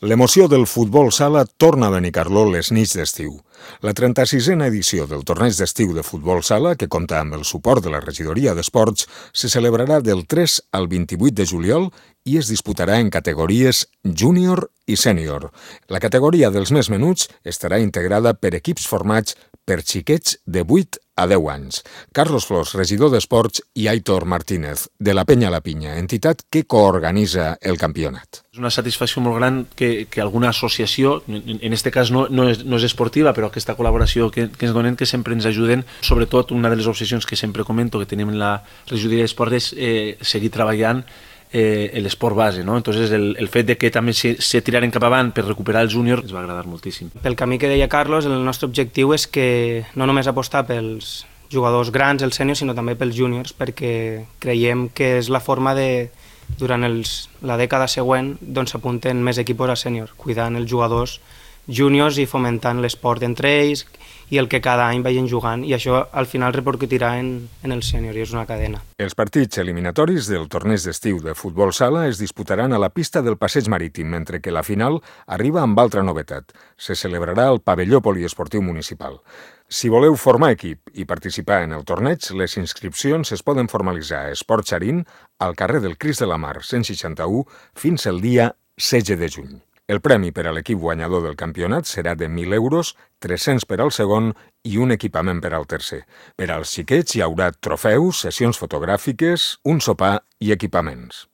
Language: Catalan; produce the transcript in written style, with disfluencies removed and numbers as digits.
L'emoció del futbol sala torna a Benicarló les nits d'estiu. La 36a edició del torneig d'estiu de futbol sala, que compta amb el suport de la Regidoria d'Esports, se celebrarà del 3 al 28 de juliol i es disputarà en categories júnior i sènior. La categoria dels més menuts estarà integrada per equips formats per xiquets de 8 a 10 anys. Carlos Flors, regidor d'Esports, i Aitor Martínez, de la Penya La Pinya, entitat que coorganitza el campionat. És una satisfacció molt gran que alguna associació, en aquest cas no és esportiva, però aquesta col·laboració que ens donen, que sempre ens ajuden. Sobretot, una de les obsessions que sempre comento que tenim en la regidoria d'Esports és seguir treballant l'esport base, no? Entonces el fet de que també se tiraren cap avant per recuperar el júnior ens va agradar moltíssim. Pel camí que deia Carlos, el nostre objectiu és que no només apostar pels jugadors grans, els sèniors, sinó també pels júniors, perquè creiem que és la forma de, durant la dècada següent, doncs s'apunten més equips a sènior, cuidant els jugadors júniors i fomentant l'esport entre ells i el que cada any vagin jugant, i això al final repercutirà en el sènior, i és una cadena. Els partits eliminatoris del torneig d'estiu de futbol sala es disputaran a la pista del Passeig Marítim, mentre que la final arriba amb altra novetat. Se celebrarà al pavelló poliesportiu municipal. Si voleu formar equip i participar en el torneig, les inscripcions es poden formalitzar a Esport Xarín, al carrer del Crist de la Mar, 161, fins al dia 16 de juny. El premi per a l'equip guanyador del campionat serà de 1.000 euros, 300 per al segon i un equipament per al tercer. Per als xiquets hi haurà trofeus, sessions fotogràfiques, un sopar i equipaments.